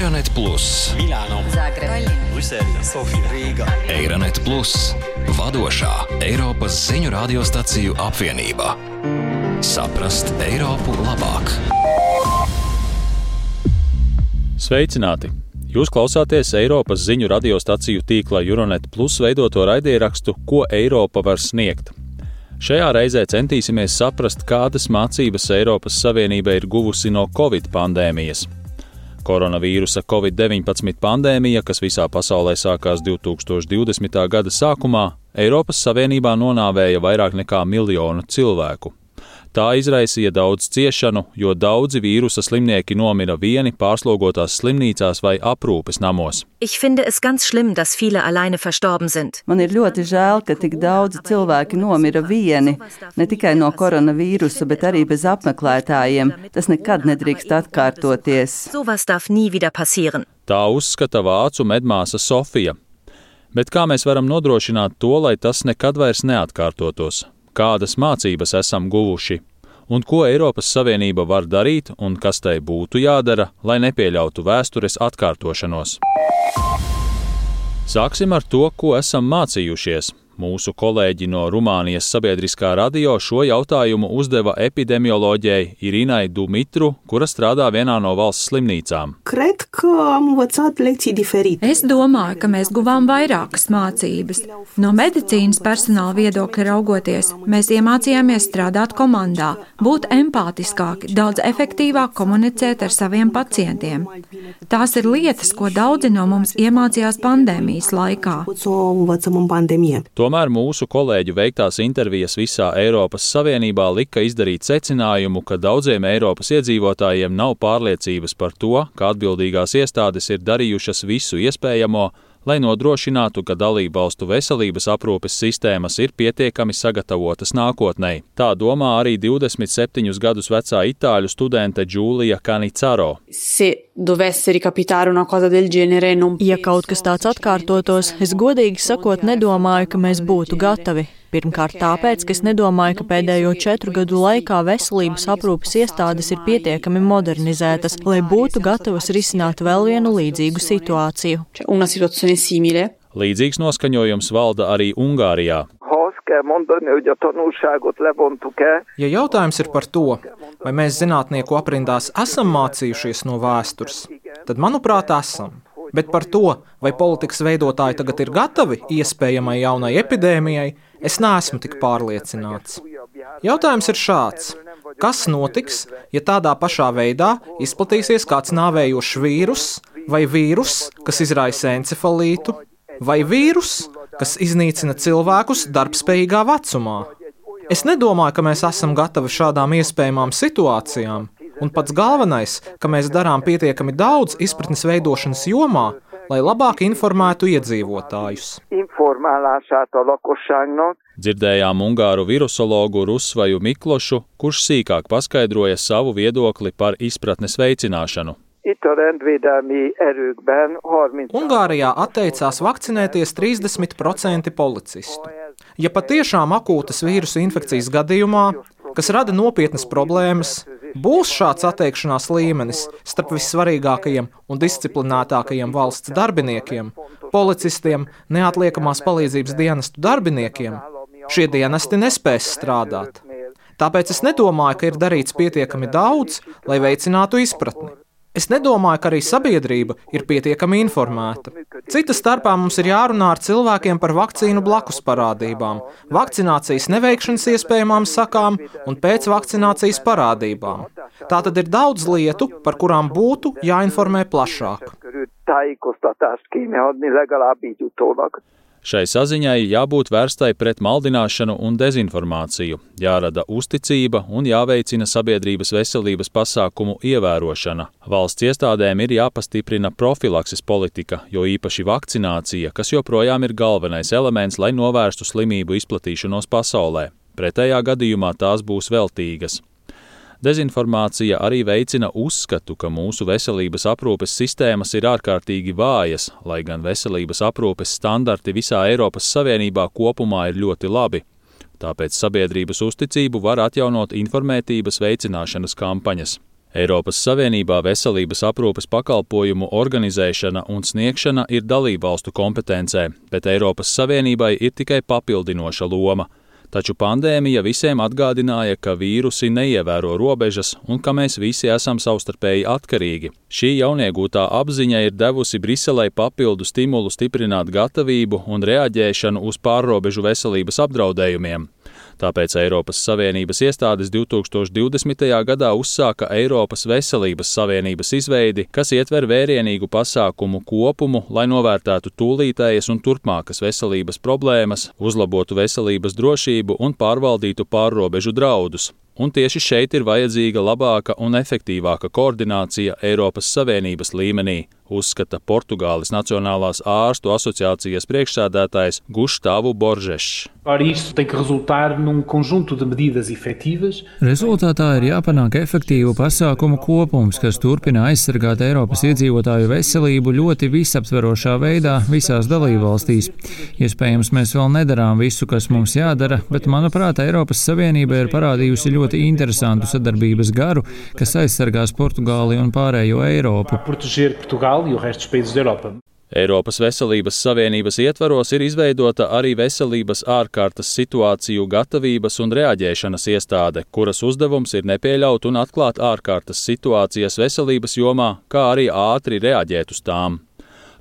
Eironet Plus, Milāno, Zagreba, Brisele, Sofija, Rīga. Eironet Plus, vadošā Eiropas ziņu radiostaciju apvienība. Saprast Eiropu labāk. Sveicināti! Jūs klausāties Eiropas ziņu radiostaciju tīkla Eironet Plus veidoto raidierakstu Ko Eiropa var sniegt. Šajā reizē centīsimies saprast, kādas mācības Eiropas Savienība ir guvusi no Covid pandēmijas. Koronavīrusa Covid-19 pandēmija, kas visā pasaulē sākās 2020. gada sākumā, Eiropas Savienībā nonāvēja vairāk nekā 1 miljonu cilvēku. Tā izraisīja daudz ciešanu, jo daudzi vīrusa slimnieki nomira vieni pārslogotās slimnīcās vai aprūpes namos. Ich finde es ganz schlimm, dass viele alleine verstorben sind. Man ir ļoti žēl, ka tik daudzi cilvēki nomira vieni, ne tikai no koronavīrusa, bet arī bez apmeklētājiem. Tas nekad nedrīkst atkārtoties. Sowas darf nie wieder passieren. Tā uzskata vācu medmāsa Sofija. Bet kā mēs varam nodrošināt to, lai tas nekad vairs neatkārtotos? Kādas mācības esam guvuši? Un ko Eiropas Savienība var darīt un kas tai būtu jādara, lai nepieļautu vēstures atkārtošanos? Sāksim ar to, ko esam mācījušies. Mūsu kolēģi no Rumānijas sabiedriskā radio šo jautājumu uzdeva epidemioloģijai Irinai Dumitru, kura strādā vienā no valsts slimnīcām. Es domāju, ka mēs guvām vairākas mācības. No medicīnas personāla viedokļa raugoties, mēs iemācījāmies strādāt komandā, būt empātiskāki, daudz efektīvāk komunicēt ar saviem pacientiem. Tās ir lietas, ko daudzi no mums iemācījās pandēmijas laikā. Tomēr mūsu kolēģu veiktās intervijas visā Eiropas Savienībā lika izdarīt secinājumu, ka daudziem Eiropas iedzīvotājiem nav pārliecības par to, ka atbildīgās iestādes ir darījušas visu iespējamo, lai nodrošinātu, ka dalībvalstu veselības aprūpes sistēmas ir pietiekami sagatavotas nākotnei. Tā domā arī 27 gadus vecā itāļu studente Giulia Canicaro. Ja kaut kas tāds atkārtotos, es godīgi sakot nedomāju, ka mēs būtu gatavi. Pirmkārt tāpēc, ka es nedomāju, ka pēdējo 4 gadu laikā veselības aprūpes iestādes ir pietiekami modernizētas, lai būtu gatavas risināt vēl vienu līdzīgu situāciju. Līdzīgs noskaņojums valda arī Ungārijā. Ja jautājums ir par to, vai mēs zinātnieku aprindās esam mācījušies no vēstures, tad, manuprāt, esam. Bet par to, vai politikas veidotāji tagad ir gatavi iespējamai jaunai epidēmijai, es neesmu tik pārliecināts. Jautājums ir šāds. Kas notiks, ja tādā pašā veidā izplatīsies kāds nāvējošs vīrus, vai vīrus, kas izraisa encefalītu, vai vīrus, kas iznīcina cilvēkus darbspējīgā vecumā? Es nedomāju, ka mēs esam gatavi šādām iespējamām situācijām. Un pats galvenais, ka mēs darām pietiekami daudz izpratnes veidošanas jomā, lai labāk informētu iedzīvotājus. Dzirdējām ungāru virusologu Rusvaju Miklošu, kurš sīkāk paskaidroja savu viedokli par izpratnes veicināšanu. Ungārijā atteicās vakcinēties 30% policistu. Ja patiešām akūtas vīrusu infekcijas gadījumā, kas rada nopietnas problēmas, būs šāds atteikšanās līmenis starp vissvarīgākajiem un disciplinētākajiem valsts darbiniekiem, policistiem, neatliekamās palīdzības dienestu darbiniekiem, šie dienesti nespēs strādāt. Tāpēc es nedomāju, ka ir darīts pietiekami daudz, lai veicinātu izpratni. Es nedomāju, ka arī sabiedrība ir pietiekami informēta. Cita starpā mums ir jārunā ar cilvēkiem par vakcīnu blakus parādībām, vakcinācijas neveikšanas iespējamām sakām un pēcvakcinācijas parādībām. Tātad ir daudz lietu, par kurām būtu jāinformē plašāk. Šai saziņai jābūt vērstai pret maldināšanu un dezinformāciju, jārada uzticība un jāveicina sabiedrības veselības pasākumu ievērošana. Valsts iestādēm ir jāpastiprina profilakses politika, jo īpaši vakcinācija, kas joprojām ir galvenais elements, lai novērstu slimību izplatīšanos pasaulē. Pretējā gadījumā tās būs veltīgas. Dezinformācija arī veicina uzskatu, ka mūsu veselības aprūpes sistēmas ir ārkārtīgi vājas, lai gan veselības aprūpes standarti visā Eiropas Savienībā kopumā ir ļoti labi. Tāpēc sabiedrības uzticību var atjaunot informētības veicināšanas kampaņas. Eiropas Savienībā veselības aprūpes pakalpojumu organizēšana un sniegšana ir dalībvalstu kompetencē, bet Eiropas Savienībai ir tikai papildinoša loma. Taču pandēmija visiem atgādināja, ka vīrusi neievēro robežas un ka mēs visi esam savstarpēji atkarīgi. Šī jauniegūtā apziņa ir devusi Briselei papildu stimulu stiprināt gatavību un reaģēšanu uz pārrobežu veselības apdraudējumiem. Tāpēc Eiropas Savienības iestādes 2020. gadā uzsāka Eiropas Veselības Savienības izveidi, kas ietver vērienīgu pasākumu kopumu, lai novērtētu tūlītējas un turpmākas veselības problēmas, uzlabotu veselības drošību un pārvaldītu pārrobežu draudus. Un tieši šeit ir vajadzīga labāka un efektīvāka koordinācija Eiropas Savienības līmenī, uzskata Portugāles Nacionālās ārstu asociācijas priekšsēdētājs Gustavo Borges. Rezultātā ir jāpanāk efektīvu pasākumu kopums, kas turpina aizsargāt Eiropas iedzīvotāju veselību ļoti visaptverošā veidā visās dalībvalstīs. Iespējams, mēs vēl nedarām visu, kas mums jādara, bet, manuprāt, Eiropas Savienība ir parādījusi ļoti interesantu sadarbības garu, kas aizsargās Portugāli un pārējo Eiropu. Eiropas Veselības Savienības ietvaros ir izveidota arī veselības ārkārtas situāciju gatavības un reaģēšanas iestāde, kuras uzdevums ir nepieļaut un atklāt ārkārtas situācijas veselības jomā, kā arī ātri reaģēt uz tām.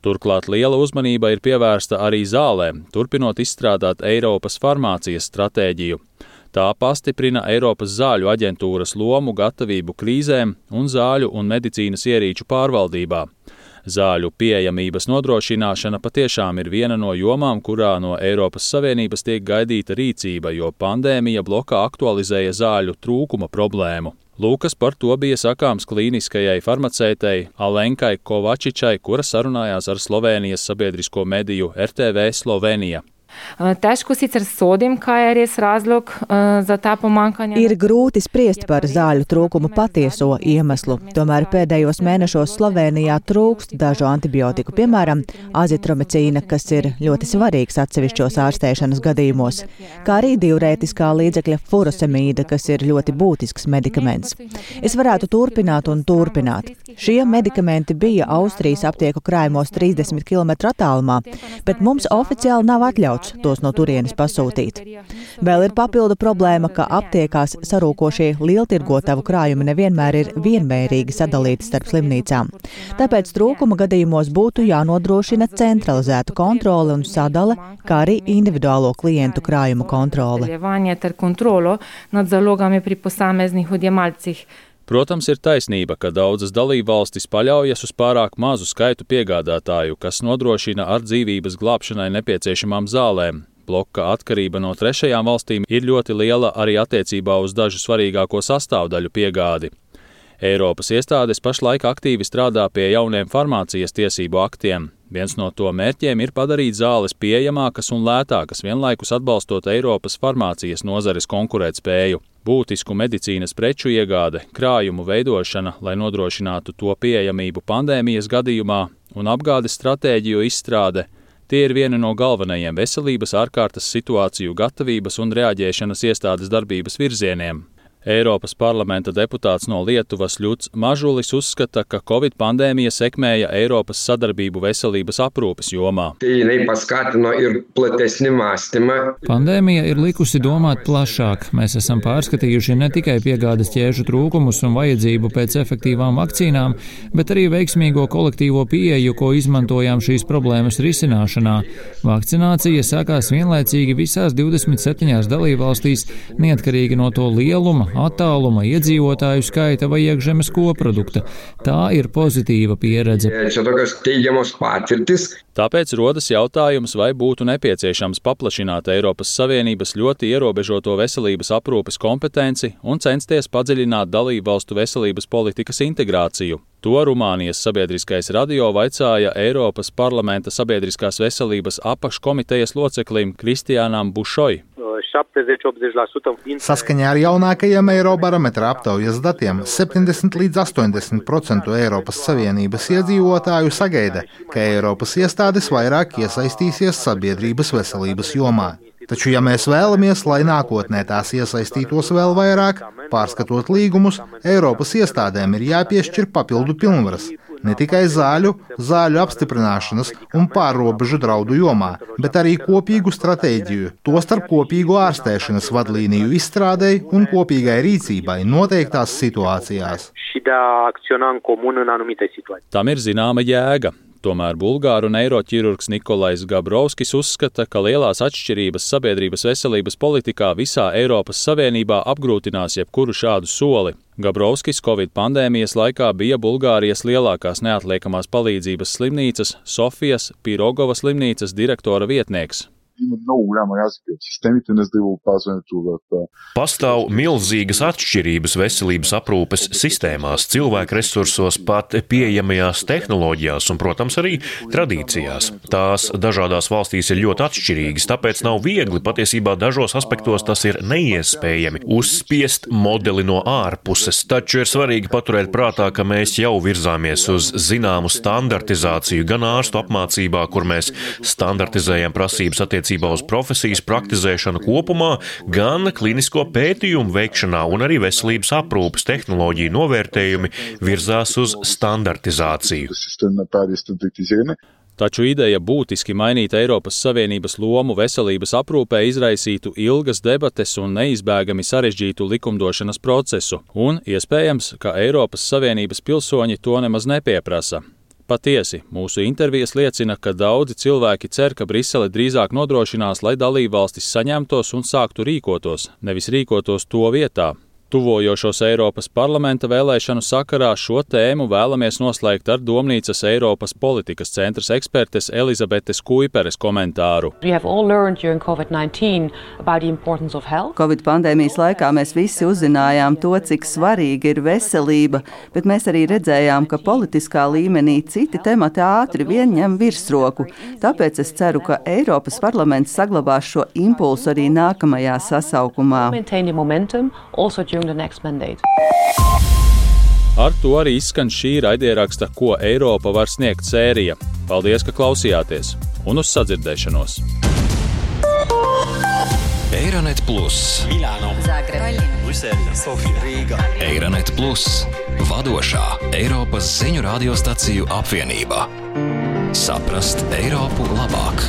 Turklāt liela uzmanība ir pievērsta arī zālēm, turpinot izstrādāt Eiropas farmācijas stratēģiju. Tā pastiprina Eiropas zāļu aģentūras lomu gatavību krīzēm un zāļu un medicīnas ierīču pārvaldībā. Zāļu pieejamības nodrošināšana patiešām ir viena no jomām, kurā no Eiropas Savienības tiek gaidīta rīcība, jo pandēmija blokā aktualizēja zāļu trūkuma problēmu. Lūkas par to bija sakāms klīniskajai farmaceitei Alenkai Kovačičai, kura sarunājās ar Slovēnijas sabiedrisko mediju RTV Slovenija. Ir grūti spriest par zāļu trūkumu patieso iemeslu, tomēr pēdējos mēnešos Slovēnijā trūkst dažu antibiotiku, piemēram, azitromicīna, kas ir ļoti svarīgs atsevišķos ārstēšanas gadījumos, kā arī diurētiskā līdzekļa furosemīda, kas ir ļoti būtisks medikaments. Es varētu turpināt un turpināt. Šie medikamenti bija Austrijas aptieku krājumos 30 km attālumā, bet mums oficiāli nav atļauts tos no turienes pasūtīt. Vēl ir papildu problēma, ka aptiekās sarūkošie lieltirgotavu krājumi nevienmēr ir vienmērīgi sadalīti starp slimnīcām. Tāpēc trūkuma gadījumos būtu jānodrošina centralizēta kontrole un sadale, kā arī individuālo klientu krājumu kontrole. Protams, ir taisnība, ka daudzas dalībvalstis paļaujas uz pārāk mazu skaitu piegādātāju, kas nodrošina ar dzīvības glābšanai nepieciešamām zālēm. Bloka atkarība no trešajām valstīm ir ļoti liela arī attiecībā uz dažu svarīgāko sastāvdaļu piegādi. Eiropas iestādes pašlaik aktīvi strādā pie jauniem farmācijas tiesību aktiem. Viens no to mērķiem ir padarīt zāles pieejamākas un lētākas, vienlaikus atbalstot Eiropas farmācijas nozares konkurētspēju. Būtisku medicīnas preču iegāde, krājumu veidošana, lai nodrošinātu to pieejamību pandēmijas gadījumā un apgādes stratēģiju izstrāde, tie ir vieni no galvenajiem veselības ārkārtas situāciju gatavības un reaģēšanas iestādes darbības virzieniem. Eiropas parlamenta deputāts no Lietuvas Ļuds Mažulis uzskata, ka Covid pandēmija sekmēja Eiropas sadarbību veselības aprūpes jomā. Pandēmija ir likusi domāt plašāk. Mēs esam pārskatījuši ne tikai piegādes ķēžu trūkumus un vajadzību pēc efektīvām vakcīnām, bet arī veiksmīgo kolektīvo pieeju, ko izmantojām šīs problēmas risināšanā. Vakcinācija sākās vienlaicīgi visās 27 dalībvalstīs, neatkarīgi no to lieluma, attāluma, iedzīvotāju skaita vai iekšzemes koprodukta. Tā ir pozitīva pieredze. Tāpēc rodas jautājums, vai būtu nepieciešams paplašināt Eiropas Savienības ļoti ierobežoto veselības aprūpes kompetenci un censties padziļināt dalībvalstu veselības politikas integrāciju. To Rumānijas sabiedriskais radio vaicāja Eiropas parlamenta sabiedriskās veselības apakškomitejas loceklim Kristiānam Bušoj. Saskaņā ar jaunākajiem Eirobarometra aptaujas datiem 70 līdz 80% Eiropas Savienības iedzīvotāju sagaida, ka Eiropas iestādes vairāk iesaistīsies sabiedrības veselības jomā. Taču, ja mēs vēlamies, lai nākotnē tās iesaistītos vēl vairāk, pārskatot līgumus, Eiropas iestādēm ir jāpiešķir papildu pilnvaras. Ne tikai zāļu apstiprināšanas un pārrobežu draudu jomā, bet arī kopīgu stratēģiju, tostarp kopīgu ārstēšanas vadlīniju izstrādei un kopīgai rīcībai noteiktās situācijās. Tam ir zināma jēga. Tomēr bulgāru neiroķirurgs Nikolais Gabrovskis uzskata, ka lielās atšķirības sabiedrības veselības politikā visā Eiropas Savienībā apgrūtinās jebkuru šādu soli. Gabrovskis Covid pandēmijas laikā bija Bulgārijas lielākās neatliekamās palīdzības slimnīcas Sofijas Pirogovas slimnīcas direktora vietnieks. Pastāv milzīgas atšķirības veselības aprūpes sistēmās, cilvēku resursos, pat pieejamajās tehnoloģijās un, protams, arī tradīcijās. Tās dažādās valstīs ir ļoti atšķirīgas, tāpēc nav viegli, patiesībā dažos aspektos tas ir neiespējami, uzspiest modeli no ārpuses. Taču ir svarīgi paturēt prātā, ka mēs jau virzāmies uz zināmu standartizāciju gan ārstu apmācībā, kur mēs standartizējam prasības attiecībā uz profesijas praktizēšanu kopumā, gan klinisko pētījumu veikšanā un arī veselības aprūpes tehnoloģiju novērtējumi virzās uz standartizāciju. Taču ideja būtiski mainīt Eiropas Savienības lomu veselības aprūpē izraisītu ilgas debates un neizbēgami sarežģītu likumdošanas procesu, un iespējams, ka Eiropas Savienības pilsoņi to nemaz nepieprasa. Patiesi, mūsu intervijas liecina, ka daudzi cilvēki cer, ka Brisele drīzāk nodrošinās, lai dalībvalstis saņemtos un sāktu rīkotos, nevis rīkotos to vietā. Tuvojošos Eiropas parlamenta vēlēšanu sakarā šo tēmu vēlamies noslēgt ar Domnīcas Eiropas politikas centras ekspertes Elizabetes Kuiperes komentāru. Covid pandēmijas laikā mēs visi uzzinājām to, cik svarīga ir veselība, bet mēs arī redzējām, ka politiskā līmenī citi temati ātri vien ņem virsroku. Tāpēc es ceru, ka Eiropas parlaments saglabās šo impulsu arī nākamajā sasaukumā. Ar to arī izskan šī raidieraksta Ko Eiropa var sniegt sērija. Paldies, ka klausījāties, un uz sadzirdēšanos! Eironet Plus, Milāno, Zagreb, Brisele, Sofija, Rīga. Eironet Plus, vadošā Eiropas ziņu radiostaciju apvienība. Saprast Eiropu labāk!